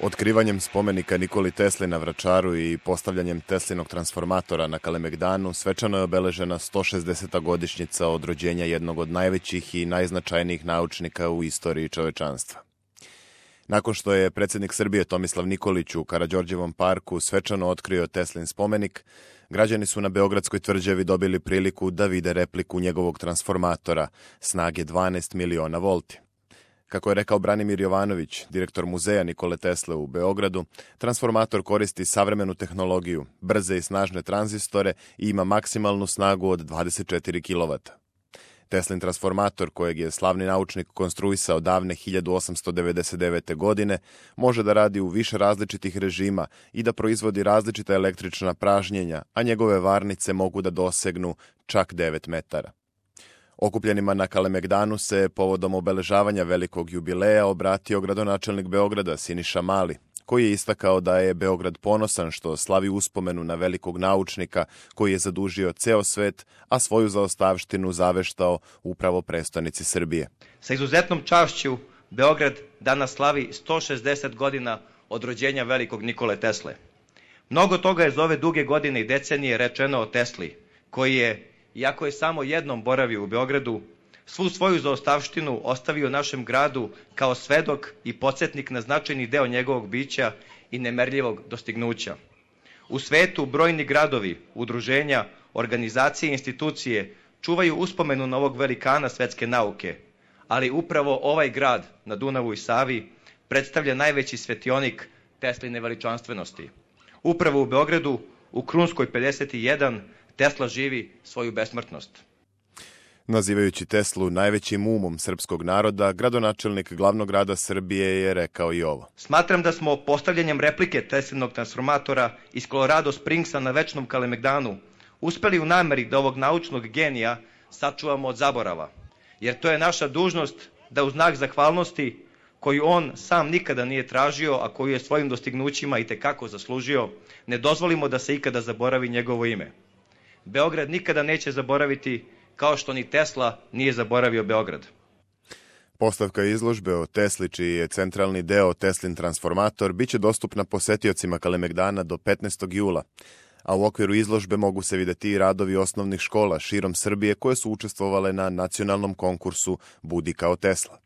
Otkrivanjem spomenika Nikoli Tesli na Vračaru i postavljanjem Teslinog transformatora na Kalemegdanu svečano je obeležena 160. godišnjica od rođenja jednog od najvećih i najznačajnijih naučnika u istoriji čovečanstva. Nakon što je predsjednik Srbije Tomislav Nikolić u Karađorđevom parku svečano otkrio Teslin spomenik, građani su na Beogradskoj tvrđavi dobili priliku da vide repliku njegovog transformatora snage 12 miliona volti. Kako je rekao Branimir Jovanović, direktor muzeja Nikole Tesle u Beogradu, transformator koristi savremenu tehnologiju, brze i snažne tranzistore i ima maksimalnu snagu od 24 kW. Teslin transformator, kojeg je slavni naučnik konstruisao davne 1899. godine, može da radi u više različitih režima i da proizvodi različita električna pražnjenja, a njegove varnice mogu da dosegnu čak 9 metara. Okupljenima na Kalemegdanu se povodom obeležavanja velikog jubileja obratio gradonačelnik Beograda Siniša Mali, koji je istakao da je Beograd ponosan što slavi uspomenu na velikog naučnika koji je zadužio ceo svet, a svoju zaostavštinu zaveštao upravo prestonici Srbije. Sa izuzetnom čašću Beograd danas slavi 160 godina od rođenja velikog Nikole Tesle. Mnogo toga je za ove duge godine i decenije rečeno o Tesli, koji je, iako je samo jednom boravio u Beogradu, svu svoju zaostavštinu ostavio našem gradu kao svedok i podsjetnik na značajni deo njegovog bića i nemerljivog dostignuća. U svetu brojni gradovi, udruženja, organizacije i institucije čuvaju uspomenu na ovog velikana svetske nauke, ali upravo ovaj grad na Dunavu i Savi predstavlja najveći svetionik Tesline veličanstvenosti. Upravo u Beogradu, u Krunskoj 51, Tesla živi svoju besmrtnost. Nazivajući Teslu najvećim umom srpskog naroda, gradonačelnik glavnog grada Srbije je rekao i ovo. Smatram da smo postavljanjem replike Teslinog transformatora iz Colorado Springsa na večnom Kalemegdanu uspeli u nameri da ovog naučnog genija sačuvamo od zaborava. Jer to je naša dužnost da u znak zahvalnosti, koju on sam nikada nije tražio, a koju je svojim dostignućima itekako zaslužio, ne dozvolimo da se ikada zaboravi njegovo ime. Beograd nikada neće zaboraviti, kao što ni Tesla nije zaboravio Beograd. Postavka izložbe o Tesli, čiji je centralni deo Teslin transformator, bit će dostupna posetiocima Kalemegdana do 15. jula, a u okviru izložbe mogu se videti i radovi osnovnih škola širom Srbije koje su učestvovale na nacionalnom konkursu Budi kao Tesla.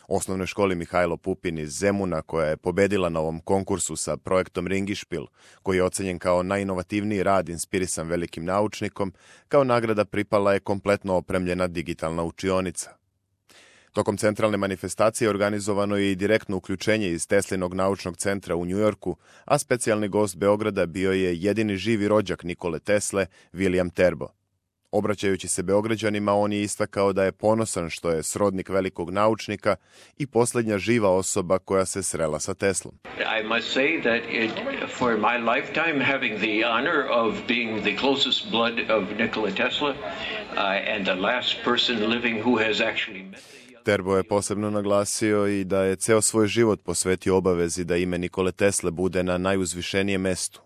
Osnovnoj školi Mihajlo Pupin iz Zemuna, koja je pobedila na ovom konkursu sa projektom Ringišpil, koji je ocenjen kao najinovativniji rad inspirisan velikim naučnikom, kao nagrada pripala je kompletno opremljena digitalna učionica. Tokom centralne manifestacije organizovano je i direktno uključenje iz Teslinog naučnog centra u Njujorku, a specijalni gost Beograda bio je jedini živi rođak Nikole Tesle, William Terbo. Obraćajući se Beograđanima, on je istakao da je ponosan što je srodnik velikog naučnika i posljednja živa osoba koja se srela sa Teslom. I must say that for my lifetime having the honor of being the closest blood of Nikola Tesla and the last person living who has actually met Terbo je posebno naglasio i da je ceo svoj život posvetio obavezi da ime Nikole Tesle bude na najuzvišenijem mestu.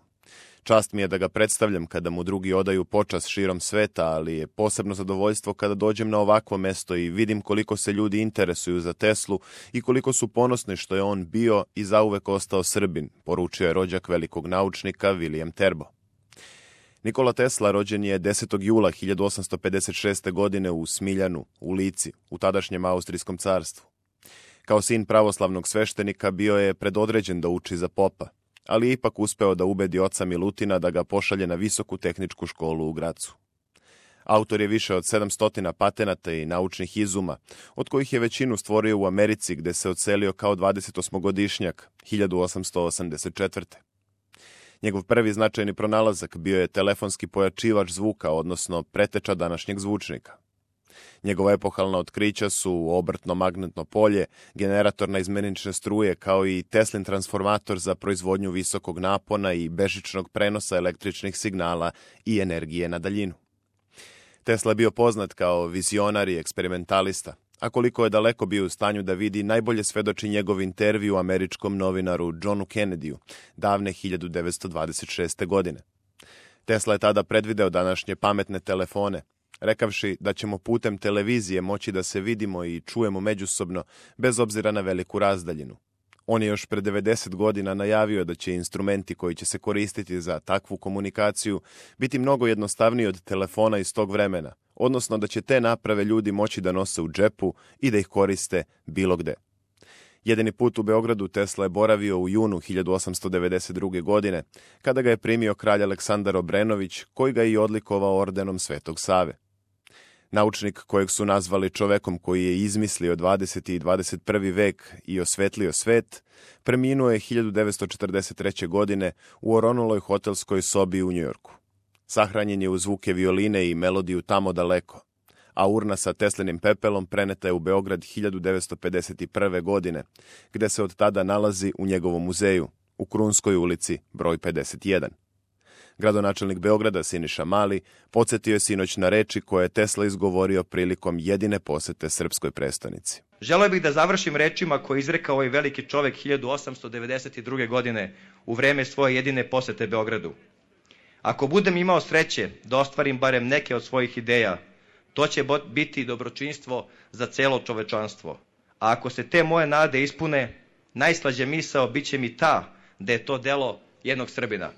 Čast mi je da ga predstavljam kada mu drugi odaju počast širom sveta, ali je posebno zadovoljstvo kada dođem na ovakvo mesto i vidim koliko se ljudi interesuju za Teslu i koliko su ponosni što je on bio i zauvek ostao Srbin, poručio je rođak velikog naučnika William Terbo. Nikola Tesla rođen je 10. jula 1856. godine u Smiljanu, u Lici, u tadašnjem Austrijskom carstvu. Kao sin pravoslavnog sveštenika bio je predodređen da uči za popa, ali je ipak uspeo da ubedi oca Milutina da ga pošalje na visoku tehničku školu u Gracu. Autor je više od 700 patenata i naučnih izuma, od kojih je većinu stvorio u Americi, gde se odselio kao 28-godišnjak, 1884. Njegov prvi značajni pronalazak bio je telefonski pojačivač zvuka, odnosno preteča današnjeg zvučnika. Njegova epohalna otkrića su obrtno magnetno polje, generator naizmenične struje, kao i Teslin transformator za proizvodnju visokog napona i bežičnog prenosa električnih signala i energije na daljinu. Tesla je bio poznat kao vizionar i eksperimentalista, a koliko je daleko bio u stanju da vidi najbolje svedoči njegov intervju američkom novinaru Johnu Kennedyu davne 1926. godine. Tesla je tada predvideo današnje pametne telefone, rekavši da ćemo putem televizije moći da se vidimo i čujemo međusobno bez obzira na veliku razdaljinu. On je još pre 90 godina najavio da će instrumenti koji će se koristiti za takvu komunikaciju biti mnogo jednostavniji od telefona iz tog vremena, odnosno da će te naprave ljudi moći da nose u džepu i da ih koriste bilo gde. Jedini put u Beogradu Tesla je boravio u junu 1892. godine, kada ga je primio kralj Aleksandar Obrenović, koji ga je i odlikovao ordenom Svetog Save. Naučnik kojeg su nazvali čovekom koji je izmislio 20. i 21. vek i osvetlio svet, preminuo je 1943. godine u oronuloj hotelskoj sobi u Njujorku. Sahranjen je u zvuke violine i melodiju Tamo daleko, a urna sa Teslinim pepelom preneta je u Beograd 1951. godine, gde se od tada nalazi u njegovom muzeju, u Krunskoj ulici broj 51. Gradonačelnik Beograda Siniša Mali podsjetio je sinoć na reči koje je Tesla izgovorio prilikom jedine posete srpskoj prestonici. Želeo bih da završim rečima koje je izrekao ovaj veliki čovek 1892. godine u vreme svoje jedine posete Beogradu. Ako budem imao sreće da ostvarim barem neke od svojih ideja, to će biti dobročinstvo za celo čovečanstvo. A ako se te moje nade ispune, najslađa misao bit će mi ta da je to delo jednog Srbina.